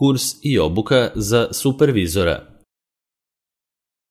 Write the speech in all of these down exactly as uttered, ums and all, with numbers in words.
kurs i obuka za supervizora.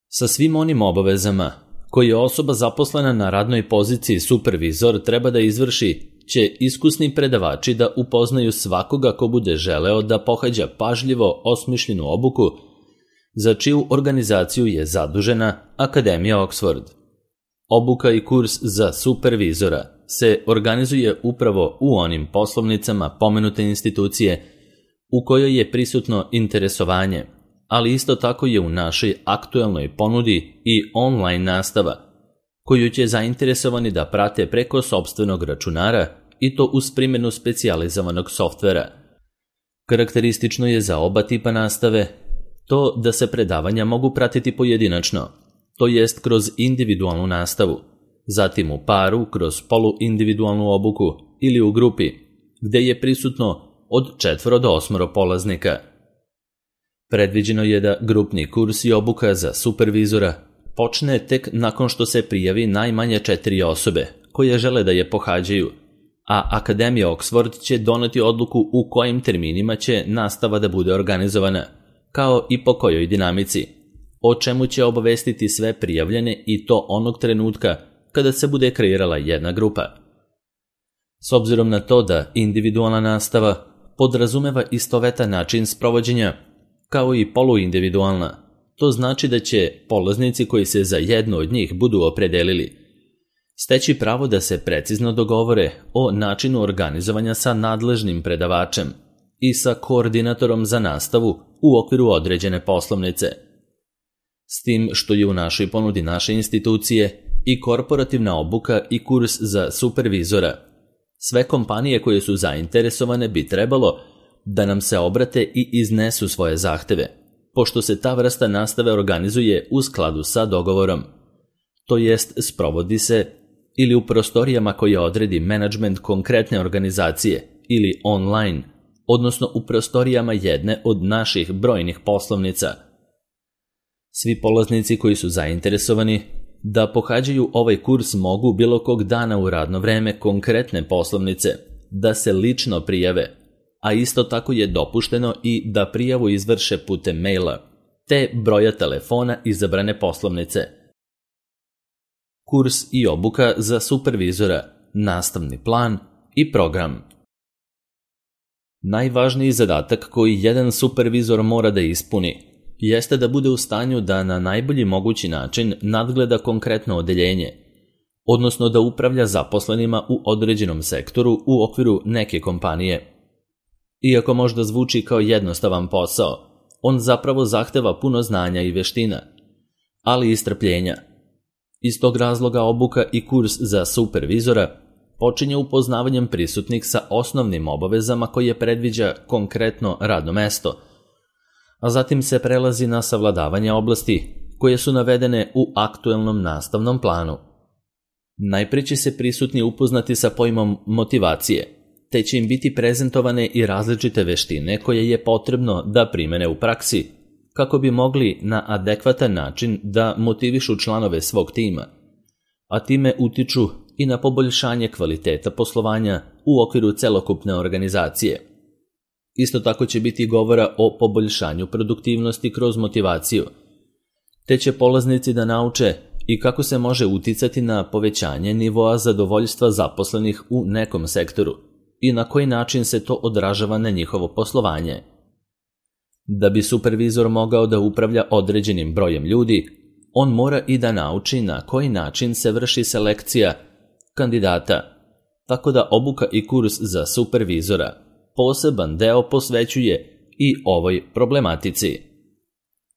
Sa svim onim obavezama koje osoba zaposlena na radnoj poziciji supervizor treba da izvrši, će iskusni predavači da upoznaju svakoga ko bude želeo da pohađa pažljivo osmišljenu obuku, za čiju organizaciju je zadužena Akademija Oxford. Obuka i kurs za supervizora se organizuje upravo u onim poslovnicama pomenute institucije u kojoj je prisutno interesovanje, ali isto tako je u našoj aktuelnoj ponudi i online nastava, koju će zainteresovani da prate preko sopstvenog računara i to uz primjenu specijalizovanog softvera. Karakteristično je za oba tipa nastave to da se predavanja mogu pratiti pojedinačno, to jest kroz individualnu nastavu, zatim u paru kroz poluindividualnu obuku ili u grupi, gde je prisutno od četvoro do osmoro polaznika. Predviđeno je da grupni kurs i obuka za supervizora počne tek nakon što se prijavi najmanje četiri osobe koje žele da je pohađaju, a Akademija Oxford će doneti odluku u kojim terminima će nastava da bude organizovana, kao i po kojoj dinamici, o čemu će obavestiti sve prijavljene i to onog trenutka kada se bude kreirala jedna grupa. S obzirom na to da individualna nastava podrazumeva istovetan način sprovođenja, kao i poluindividualna, to znači da će polaznici koji se za jednu od njih budu opredelili steći pravo da se precizno dogovore o načinu organizovanja sa nadležnim predavačem i sa koordinatorom za nastavu u okviru određene poslovnice. S tim što je u našoj ponudi naše institucije i korporativna obuka i kurs za supervizora, sve kompanije koje su zainteresovane bi trebalo da nam se obrate i iznesu svoje zahteve, pošto se ta vrsta nastave organizuje u skladu sa dogovorom. To jest, sprovodi se ili u prostorijama koje odredi menadžment konkretne organizacije ili online, odnosno u prostorijama jedne od naših brojnih poslovnica. Svi polaznici koji su zainteresovani da pohađaju ovaj kurs mogu bilo kog dana u radno vreme konkretne poslovnice da se lično prijave, a isto tako je dopušteno i da prijavu izvrše putem maila, te broja telefona izabrane poslovnice. Kurs i obuka za supervizora, nastavni plan i program. Najvažniji zadatak koji jedan supervizor mora da ispuni jeste da bude u stanju da na najbolji mogući način nadgleda konkretno odeljenje, odnosno da upravlja zaposlenima u određenom sektoru u okviru neke kompanije. Iako možda zvuči kao jednostavan posao, on zapravo zahteva puno znanja i veština, ali i strpljenja. Iz tog razloga obuka i kurs za supervizora počinje upoznavanjem prisutnih sa osnovnim obavezama koje predviđa konkretno radno mesto, a zatim se prelazi na savladavanje oblasti koje su navedene u aktuelnom nastavnom planu. Najprije će se prisutni upoznati sa pojmom motivacije, te će im biti prezentovane i različite veštine koje je potrebno da primene u praksi, kako bi mogli na adekvatan način da motivišu članove svog tima, a time utiču i na poboljšanje kvaliteta poslovanja u okviru celokupne organizacije. Isto tako će biti govora o poboljšanju produktivnosti kroz motivaciju, te će polaznici da nauče i kako se može uticati na povećanje nivoa zadovoljstva zaposlenih u nekom sektoru i na koji način se to odražava na njihovo poslovanje. Da bi supervizor mogao da upravlja određenim brojem ljudi, on mora i da nauči na koji način se vrši selekcija kandidata, tako da obuka i kurs za supervizora poseban deo posvećuje i ovoj problematici.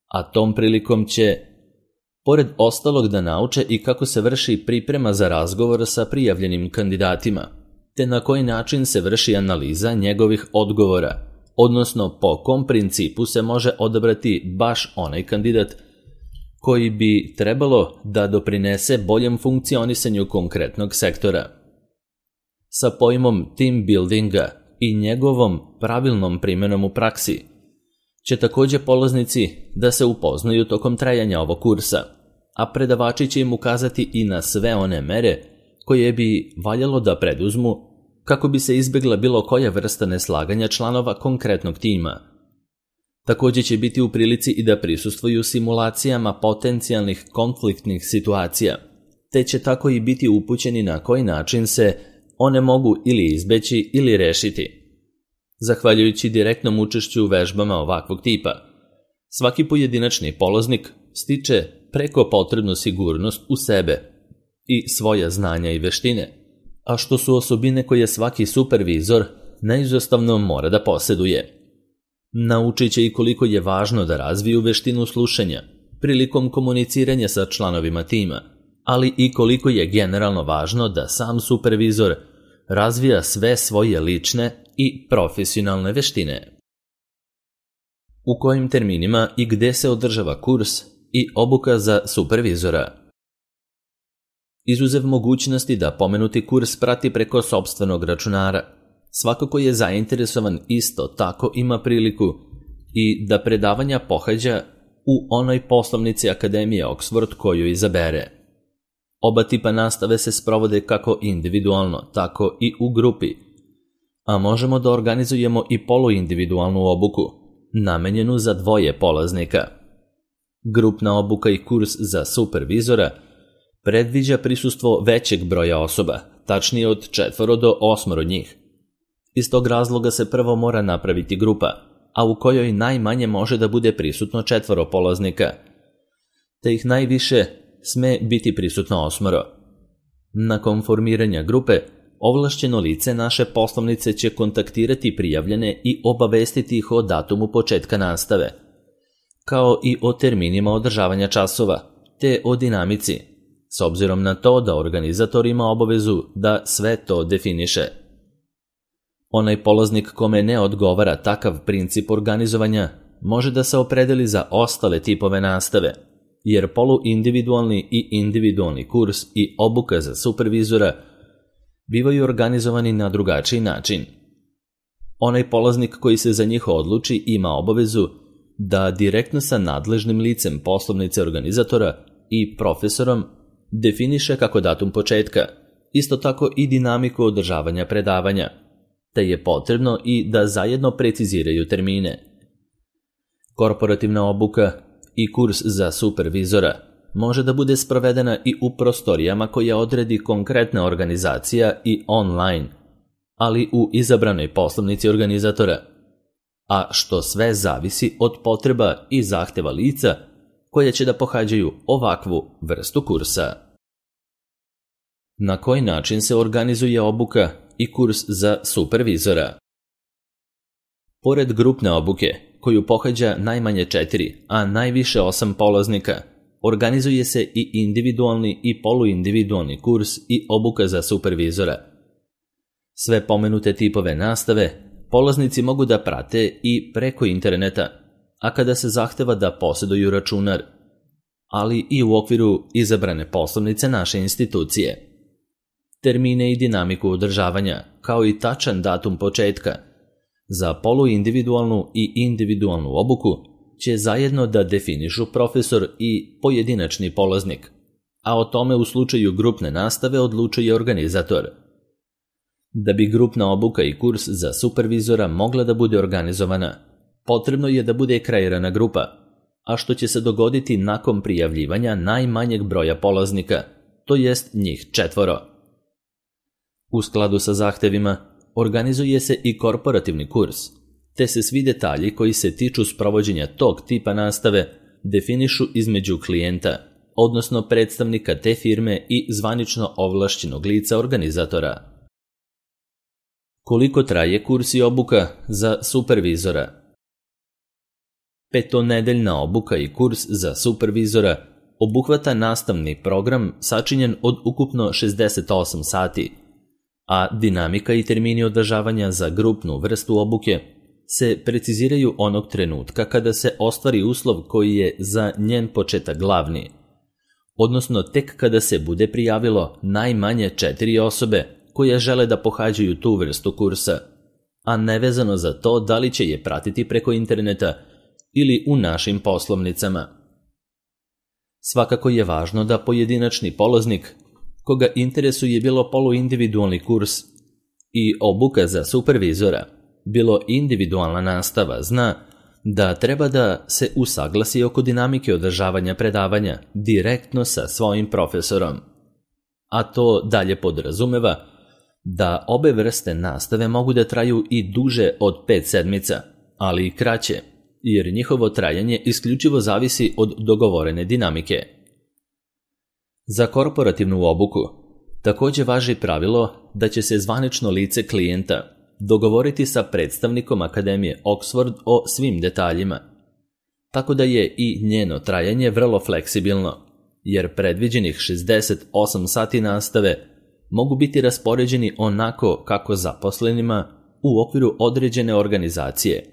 A tom prilikom će, pored ostalog, da nauče i kako se vrši priprema za razgovor sa prijavljenim kandidatima, te na koji način se vrši analiza njegovih odgovora, odnosno po kom principu se može odabrati baš onaj kandidat koji bi trebalo da doprinese boljem funkcionisanju konkretnog sektora. Sa pojmom team buildinga i njegovom pravilnom primjenom u praksi će također polaznici da se upoznaju tokom trajanja ovog kursa, a predavači će im ukazati i na sve one mere koje bi valjalo da preduzmu kako bi se izbjegla bilo koja vrsta neslaganja članova konkretnog tima. Također će biti u prilici i da prisustvuju simulacijama potencijalnih konfliktnih situacija, te će tako i biti upućeni na koji način se one mogu ili izbeći ili rešiti. Zahvaljujući direktnom učešću u vežbama ovakvog tipa, svaki pojedinačni polaznik stiče preko potrebnu sigurnost u sebe i svoja znanja i veštine, a što su osobine koje svaki supervizor neizostavno mora da posjeduje. Naučit će i koliko je važno da razviju veštinu slušanja prilikom komuniciranja sa članovima tima, ali i koliko je generalno važno da sam supervizor razvija sve svoje lične i profesionalne veštine. U kojim terminima i gde se održava kurs i obuka za supervizora? Izuzev mogućnosti da pomenuti kurs prati preko sopstvenog računara, svako ko je zainteresovan isto tako ima priliku i da predavanja pohađa u onoj poslovnici Akademije Oxford koju izabere. Oba tipa nastave se sprovode kako individualno, tako i u grupi, a možemo da organizujemo i poluindividualnu obuku, namenjenu za dvoje polaznika. Grupna obuka i kurs za supervizora predviđa prisustvo većeg broja osoba, tačnije od četvoro do osmoro njih. Iz tog razloga se prvo mora napraviti grupa, a u kojoj najmanje može da bude prisutno četvoro polaznika, te ih najviše sme biti prisutno osmoro. Nakon formiranja grupe, ovlašćeno lice naše poslovnice će kontaktirati prijavljene i obavestiti ih o datumu početka nastave, kao i o terminima održavanja časova, te o dinamici, s obzirom na to da organizator ima obavezu da sve to definiše. Onaj polaznik kome ne odgovara takav princip organizovanja može da se opredeli za ostale tipove nastave, jer poluindividualni i individualni kurs i obuka za supervizora bivaju organizovani na drugačiji način. Onaj polaznik koji se za njih odluči ima obavezu da direktno sa nadležnim licem poslovnice organizatora i profesorom definiše kako datum početka, isto tako i dinamiku održavanja predavanja, te je potrebno i da zajedno preciziraju termine. Korporativna obuka i kurs za supervizora može da bude sprovedena i u prostorijama koje odredi konkretna organizacija i online, ali u izabranoj poslovnici organizatora, a što sve zavisi od potreba i zahteva lica koje će da pohađaju ovakvu vrstu kursa. Na koji način se organizuje obuka i kurs za supervizora? Pored grupne obuke, koju pohađa najmanje četiri, a najviše osam polaznika, organizuje se i individualni i poluindividualni kurs i obuka za supervizora. Sve pomenute tipove nastave polaznici mogu da prate i preko interneta, a kada se zahteva da posjeduju računar, ali i u okviru izabrane poslovnice naše institucije. Termine i dinamiku održavanja, kao i tačan datum početka, za poluindividualnu i individualnu obuku će zajedno da definišu profesor i pojedinačni polaznik, a o tome u slučaju grupne nastave odlučuje organizator. Da bi grupna obuka i kurs za supervizora mogla da bude organizovana, potrebno je da bude kreirana grupa, a što će se dogoditi nakon prijavljivanja najmanjeg broja polaznika, to jest njih četvoro. U skladu sa zahtevima, organizuje se i korporativni kurs, te se svi detalji koji se tiču sprovođenja tog tipa nastave definišu između klijenta, odnosno predstavnika te firme i zvanično ovlašćenog lica organizatora. Koliko traje kurs i obuka za supervizora? Petonedeljna obuka i kurs za supervizora obuhvata nastavni program sačinjen od ukupno šezdeset osam sati, a dinamika i termini održavanja za grupnu vrstu obuke se preciziraju onog trenutka kada se ostvari uslov koji je za njen početak glavni, odnosno tek kada se bude prijavilo najmanje četiri osobe koje žele da pohađaju tu vrstu kursa, a nevezano za to da li će je pratiti preko interneta ili u našim poslovnicama. Svakako je važno da pojedinačni polaznik, koga interesuje bilo poluindividualni kurs i obuka za supervizora, bilo individualna nastava, zna da treba da se usaglasi oko dinamike održavanja predavanja direktno sa svojim profesorom. A to dalje podrazumeva da obe vrste nastave mogu da traju i duže od pet sedmica, ali i kraće, jer njihovo trajanje isključivo zavisi od dogovorene dinamike. Za korporativnu obuku također važi pravilo da će se zvanično lice klijenta dogovoriti sa predstavnikom Akademije Oxford o svim detaljima, tako da je i njeno trajanje vrlo fleksibilno, jer predviđenih šezdeset osam sati nastave mogu biti raspoređeni onako kako zaposlenima u okviru određene organizacije,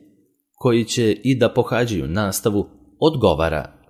koji će i da pohađaju nastavu odgovara.